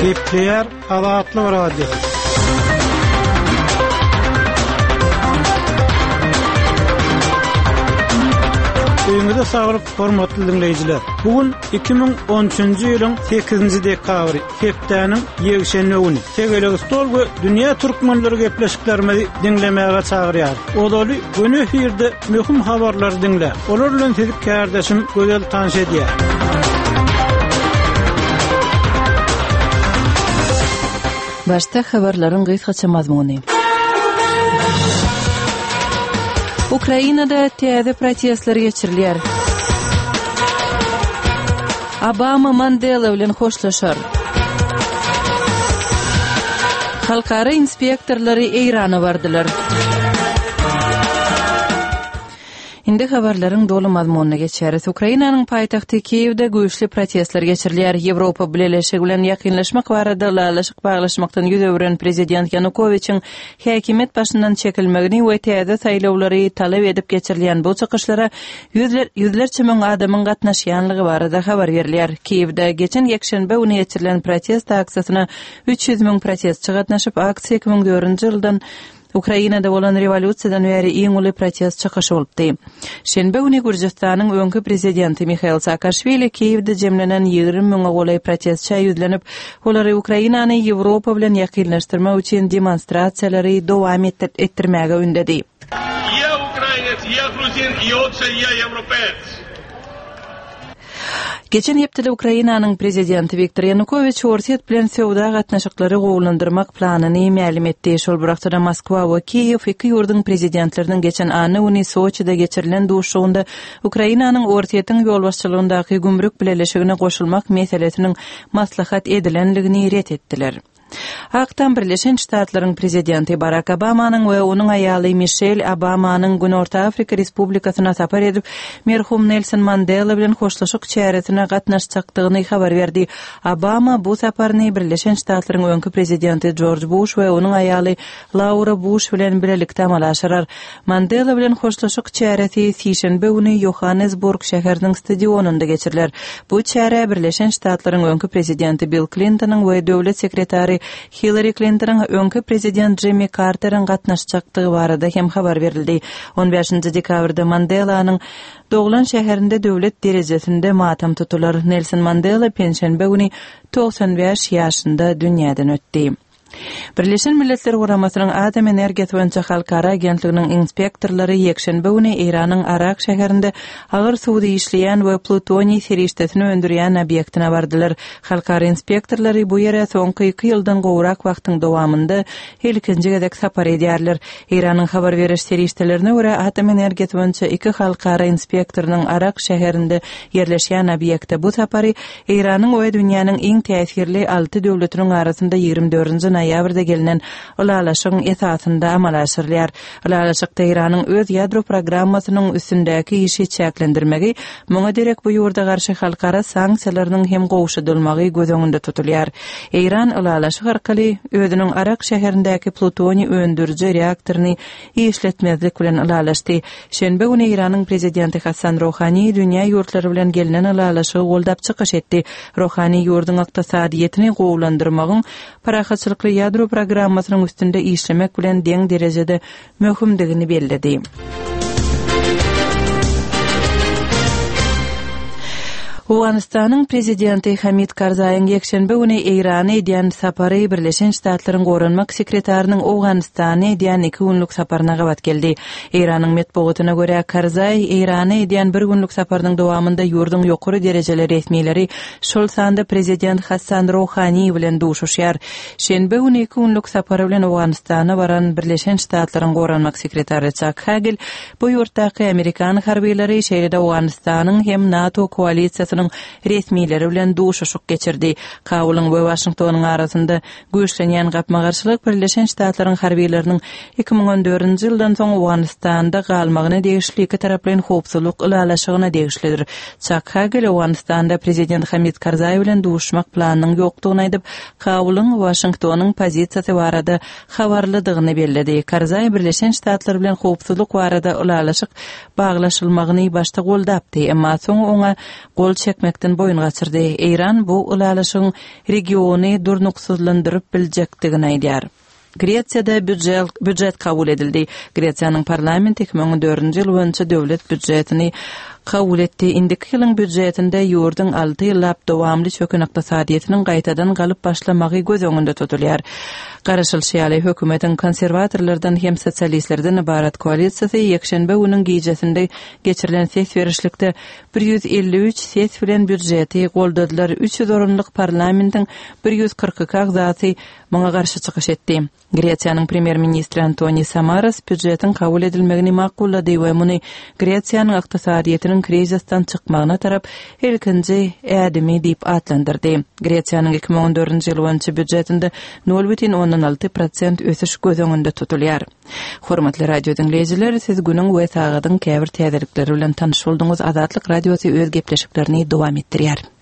Gepleýär Azatlyk Radiosy. Öýüňize saglyk, hormatly diňleýjiler! Bu gün 2013-nji ýylyň 8-nji dekabry, hepdäniň ýekşenbe güni. Tegelek stol we dünýä türkmenleri gepleşiklerimizi diňlemäge çagyrýar. Ozaly göni efirde möhüm habarlary diňläň. Olar bilen sizi kärdeşim Gözel tanyş edýär. Başda habarlaryň gysgaça mazmuny. Ukrainada täze protestler geçirilýär. Obama Mandela bilen hoşlaşar. Halkara inspektorlary Eýrana bardylar. Indi habarlaryň doly mazmunyna geçýäris. Ukrainanyň paýtagty Kiýewde güýçli protestler geçirilýär. Ýewropa Bileleşigi bilen ýakynlaşmak barada ylalaşyk baglaşmakdan ýüz öwren prezident Ýanukowiçiň häkimiýet başyndan çekilmegini we täze saýlawlary talap edip geçirilýän bu çykyşlara ýüzlerçe müň adamyň gatnaşýanlygy barada habar berilýär. Kiýewde geçen ýekşenbe güni geçirilen protest aksiýasyna 300 müň protestçi gatnaşyp, aksiýa 2004-nji ýyldan Ukrainada bolan rewolýusiýadan bäri iň uly protest çykyşy bolupdy. Şenbe güni Gürjüstanyň öňki prezidenti Mihail Saakaşwili Kiýewde jemlenen 20 müňe golaý protestçä ýüzlenip, olary Ukrainany Ýewropa bilen ýakynlaşdyrmak üçin demonstrasiýalary dowam etdirmäge ündedi. Ýa ukrainec, ýa gruzin, ýogsa ýa ýewropeec. Geçen hepdede Ukrainanyň prezidenti Wiktor Ýanukowiç Orsýet bilen söwda gatnaşyklary gowulandyrmak planyny mälim etdi. Şol bir wagtda-da Moskwa we Kiýew iki ýurduň prezidentleriniň geçen anna güni Soçide geçirilen duşuşygynda Ukrainanyň Orsýetiň ýolbaşçylygyndaky gümrük bileleşigine goşulmak meselesiniň maslahat edilenligini ret etdiler. Ak Tam Birleşen Ştatlaryň Prezidenti Barak Obamanyň we onuň aýaly Mişel Obamanyň Günorta Afrika Respublikasyna sapar edip, merhum Nelson Mandela bilen hoşlaşyk çäresine gatnaşjakdygyny habar berdi. Obama bu saparyny Birleşen Ştatlaryň öňki Prezidenti Jorj Buş we onuň aýaly Laura Buş bilen bilelikde amala aşyrar. Mandela bilen hoşlaşyk çäresi sişenbe güni Ýohannesburg şäheriniň stadionynda geçiriler. Bu çärä Birleşen Ştatlaryň öňki prezidenti Bill Klintonyň we döwlet sekretary Hillari Klintonyň, öňki prezident Jimmi Karteriň gatnaşjakdygy barada hem habar berildi. On bäşinji dekabrda Mandelanyň doglan şäherinde döwlet derejesinde matam tutular. Nelson Mandela penşenbe güni 95 ýaşynda dünýäden ötdi. Birleşen Milletler Guramasynyň Atom energiýasy boýunça halkara agentliginiň inspektorlary ýekşenbe güni Eýranyň Arak şäherinde agyr suwda işleýän we plutoniý serişdesini öndürýän obýektine bardylar. Halkara inspektorlary bu ýere soňky iki ýyldan gowrak wagtyň dowamynda ilkinji gezek sapar edýärler. Eýranyň habar beriş serişdelerine görä, atom energiýasy boýunça iki halkara inspektorynyň Arak şäherinde ýerleşýän obýekte bu sapary Eýranyň we dünýäniň iň täsirli alty döwletiniň arasynda 24-nji noýabrda gelnen ylalaşygyň esasynda amala aşyrylýar. Ylalaşykda Eýranyň öz ýadro programmasynyň üstündäki işi çäklendirmegi, muňa derek bu ýurda garşy halkara sanksiýalarynyň hem gowşadylmagy göz öňünde tutulýar. Eýran ylalaşyk arkaly özüniň Arak şäherindäki plutoniý öndüriji reaktoryny işletmezlik bilen ylalaşdy. Şenbe güni Eýranyň prezidenti Hassan Rohani dünýä ýurtlary bilen gelnen ylalaşygy goldap çykyş etdi. Rohani ýurduň ykdysadyýetini gowulandyrmagyň parahatçylykly ýadro programmasynyň üstünde işlemek bilen deň derejede möhümdigini belledi. Owganystanyň prezidenti Hamid Karzaýyň ýekşenbe güni Eýrana edýän sapary Birleşen Ştatlaryň goranmak sekretarynyň Owganystana edýän iki günlük saparyna gabat geldi. Eýranyň metbugatyna görä, Karzaý Eýrana edýän bir günlük saparynyň dowamynda ýurduň ýokary derejeli resmileri, şol sanda prezident Hassan Rohani bilen duşuşýar. Şenbe güni iki günlük sapary bilen Owganystana baran Birleşen Ştatlaryň goranmak sekretary Çak Hagel Bu ýurtdaky amerikan harbylary, şeýle-de Owganystanyň hem NATO koalisiýasynyň resmileri bilen duşuşyk geçirdi. Kabulyň we Waşingtonyň arasynda güýçlenýän gapma-garşylyk Birleşen Ştatlaryň harbylarynyň 2014-nji ýyldan soň Owganystanda galmagyna degişli ikitaraplaýyn howpsuzlyk ylalaşygyna degişlidir. Çak Hagel Owganystanda prezident Hamid Karzaý bilen duşuşmak planynyň ýokdugyny aýdyp, Kabulyň Waşingtonyň pozisiýasy barada habarlydygyny belledi. Karzaý Birleşen Ştatlar bilen howpsuzlyk barada ylalaşyk baglaşylmagyny başda goldapdy, emma soň oňa gol çekmedi. çekmekden boýun gaçyrdy. Eýran bu ylalaşygyň regiony durnuksyzlandyryp biljekdigini aýdýar. Gresiýada býujet kabul edildi. Gresiýanyň parlamenti 2014-nji ýyl boýunça döwlet býujetini kabul etdi. Indiki ýylyň býujetinde ýurduň alty ýyllap dowamly çöken ykdysadyýetiniň gaýtadan galyp başlamagy göz öňünde tutulýar. Garaşylyşy ýaly, hökümetiň konserwatorlardan hem sosialistlerden ybarat koalisiýasy ýekşenbe günüň gijesinde geçirilen ses berişlikde 153 ses bilen býujeti goldadylar, 300 orunlyk parlamentiň 142 agzasy muňa garşy çykyş etdi. Gresiýanyň premýer-ministri Antoni Samaras býujetiň kabul edilmegini makullady we muny Gresiýanyň ykdysadyýetiniň krizisden çykmagyna tarap ilkinji ädimi diýip atlandyrdy. Gresiýanyň 2014-nji ýyl boýunça býujetinde 0,6 prosent ösüş göz öňünde tutulýar. Hormatly radio diňleýjiler, siz günüň we sagadyň käbir täzelikleri bilen tanyş bolduňyz. Azatlyk Radiosy öz gepleşiklerini dowam etdirýär.